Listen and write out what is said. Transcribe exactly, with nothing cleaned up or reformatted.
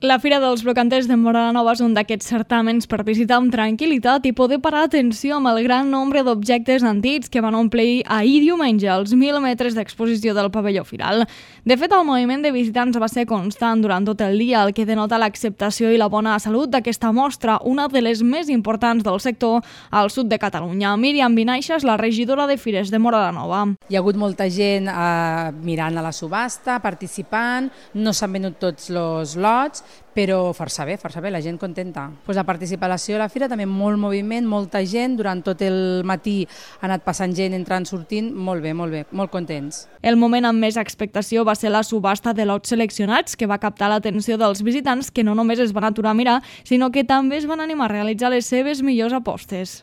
La Fira dels Brocanters de Móra la Nova és un d'aquests certàmens per visitar amb tranquil·litat i poder parar atenció amb el gran nombre d'objectes antics que van omplir ahir diumenge els mil metres d'exposició del pavelló firal. De fet, el moviment de visitants va ser constant durant tot el dia, el que denota l'acceptació i la bona salut d'aquesta mostra, una de les més importants del sector al sud de Catalunya. Míriam Vinaixa és la regidora de Fires de Móra la Nova. Hi ha hagut molta gent eh, mirant a la subhasta, participant, no s'han venut tots els lots, però força bé, força bé, la gent contenta. Pues la participació a la fira també molt moviment, molta gent, durant tot el matí ha anat passant gent, entrant, sortint, molt bé, molt bé, molt contents. El moment amb més expectació va ser la subhasta de lots seleccionats, que va captar l'atenció dels visitants que no només es van aturar a mirar, sinó que també es van animar a realitzar les seves millors apostes.